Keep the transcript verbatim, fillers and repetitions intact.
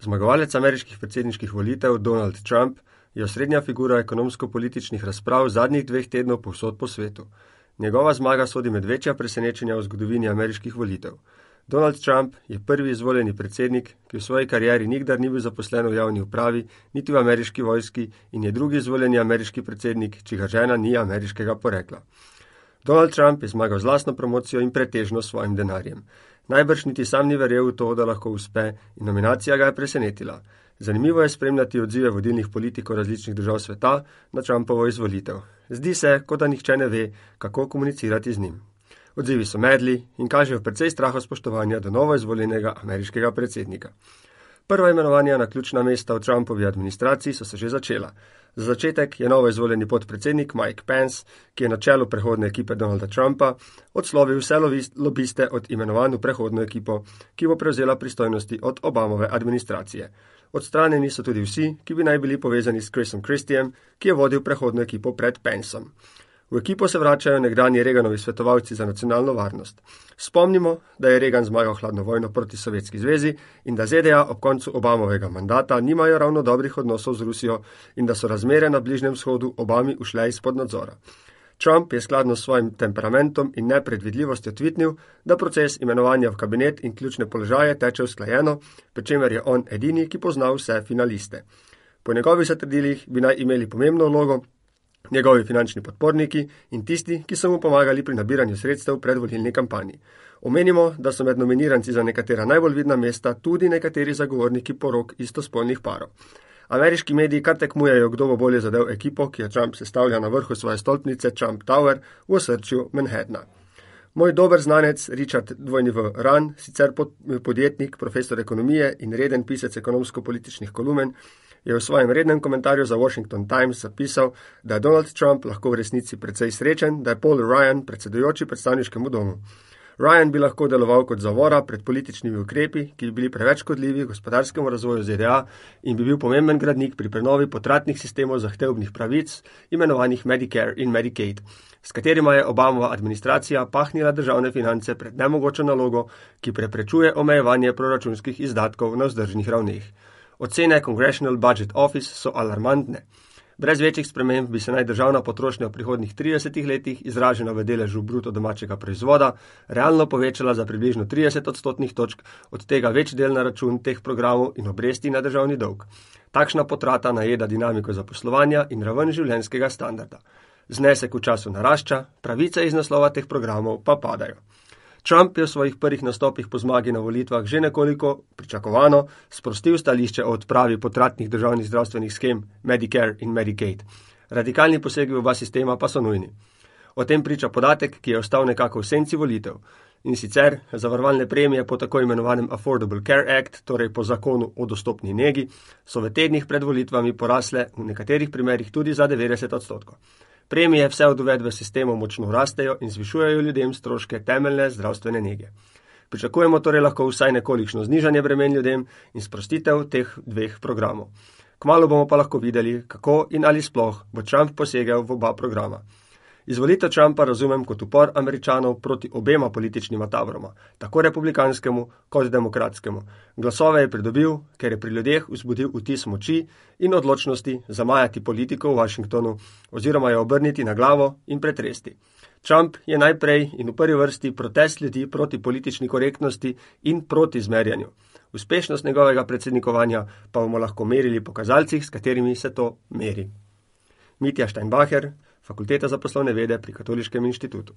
Zmagovalec ameriških predsedniških volitev Donald Trump je osrednja figura ekonomsko-političnih razprav zadnjih dveh tednov povsod po svetu. Njegova zmaga sodi med večja presenečenja v zgodovini ameriških volitev. Donald Trump je prvi izvoljeni predsednik, ki v svoji karieri nikdar ni bil zaposlen v javni upravi, niti v ameriški vojski in je drugi izvoljeni ameriški predsednik, čigar žena ni ameriškega porekla. Donald Trump je zmagal z lastno promocijo in pretežno s svojim denarjem. Najbrž niti sam ni verjel v to, da lahko uspe, in nominacija ga je presenetila. Zanimivo je spremljati odzive vodilnih politikov različnih držav sveta na Trumpovo izvolitev. Zdi se, kot da nihče ne ve, kako komunicirati z njim. Odzivi so medli in kažejo precej strahospoštovanja do novo izvoljenega ameriškega predsednika. Prva imenovanja na ključna mesta v Trumpovi administraciji so se že začela. Za začetek je novo izvoljeni podpredsednik Mike Pence, ki je na čelu prehodne ekipe Donalda Trumpa, odslovil vse lobiste od imenovanj v prehodno ekipo, ki bo prevzela pristojnosti od Obamove administracije. Odstranjeni so tudi vsi, ki bi naj bili povezani s Chrisom Christiem, ki je vodil prehodno ekipo pred Pencem. V ekipo se vračajo nekdanji Reaganovi svetovalci za nacionalno varnost. Spomnimo, da je Reagan zmagal hladno vojno proti Sovjetski zvezi in da Z D A ob koncu Obamovega mandata nimajo ravno dobrih odnosov z Rusijo in da so razmere na Bližnjem vzhodu Obami ušle izpod nadzora. Trump je skladno s svojim temperamentom in nepredvidljivostjo tvitnil, da proces imenovanja v kabinet in ključne položaje teče usklajeno, pri čemer je on edini, ki pozna vse finaliste. Po njegovih zatrdilih bi naj imeli pomembno vlogo njegovi finančni podporniki in tisti, ki so mu pomagali pri nabiranju sredstev pred volilni kampanji. Omenimo, da so med nominiranci za nekatera najbolj vidna mesta tudi nekateri zagovorniki porok istospolnih parov. Ameriški mediji kar tekmujejo, kdo bo bolje zadev ekipo, ki jo Trump sestavlja na vrhu svoje stolpnice Trump Tower v osrčju Manhattna. Moj dober znanec Richard W. Run, sicer podjetnik, profesor ekonomije in reden pisec ekonomsko-političnih kolumen, je v svojem rednem komentarju za Washington Times zapisal, da je Donald Trump lahko v resnici precej srečen, da je Paul Ryan predsedujoči predstavniškemu domu. Ryan bi lahko deloval kot zavora pred političnimi ukrepi, ki bi bili preveč škodljivi gospodarskemu razvoju Z D A in bi bil pomemben gradnik pri prenovi potratnih sistemov zahtevnih pravic, imenovanih Medicare in Medicaid, s katerima je Obamova administracija pahnila državne finance pred nemogočo nalogo, ki preprečuje omejevanje proračunskih izdatkov na vzdržnih ravneh. Ocene Congressional Budget Office so alarmantne. Brez večjih sprememb bi se naj državna potrošnja v prihodnjih tridesetih letih, izražena v deležu bruto domačega proizvoda, realno povečala za približno trideset odstotnih točk, od tega več del na račun teh programov in obresti na državni dolg. Takšna potrata najeda dinamiko zaposlovanja in raven življenjskega standarda. Znesek v času narašča, pravice iz naslova teh programov pa padajo. Trump je v svojih prvih nastopih po zmagi na volitvah že nekoliko pričakovano sprostil stališče o odpravi potratnih državnih zdravstvenih skem Medicare in Medicaid. Radikalni posegi v oba sistema pa so nujni. O tem priča podatek, ki je ostal nekako v senci volitev. In sicer zavarovalne premije po tako imenovanem Affordable Care Act, torej po zakonu o dostopni negi, so v tednih pred volitvami porasle v nekaterih primerih tudi za devetdeset odstotkov. Premije vse od uvedbe sistemov močno rastejo in zvišujejo ljudem stroške temeljne zdravstvene nege. Pričakujemo torej lahko vsaj nekolikšno znižanje bremen ljudem in sprostitev teh dveh programov. Kmalu bomo pa lahko videli, kako in ali sploh bo Trump posegel v oba programa. Izvolitev Trumpa razumem kot upor Američanov proti obema političnima taboroma, tako republikanskemu kot demokratskemu. Glasove je pridobil, ker je pri ljudeh vzbudil vtis moči in odločnosti zamajati politiko v Washingtonu oziroma jo obrniti na glavo in pretresti. Trump je najprej in v prvi vrsti protest ljudi proti politični korektnosti in proti zmerjanju. Uspešnost njegovega predsednikovanja pa bomo lahko merili po kazalcih, s katerimi se to meri. Mitja Steinbacher, Fakulteta za poslovne vede pri Katoliškem inštitutu.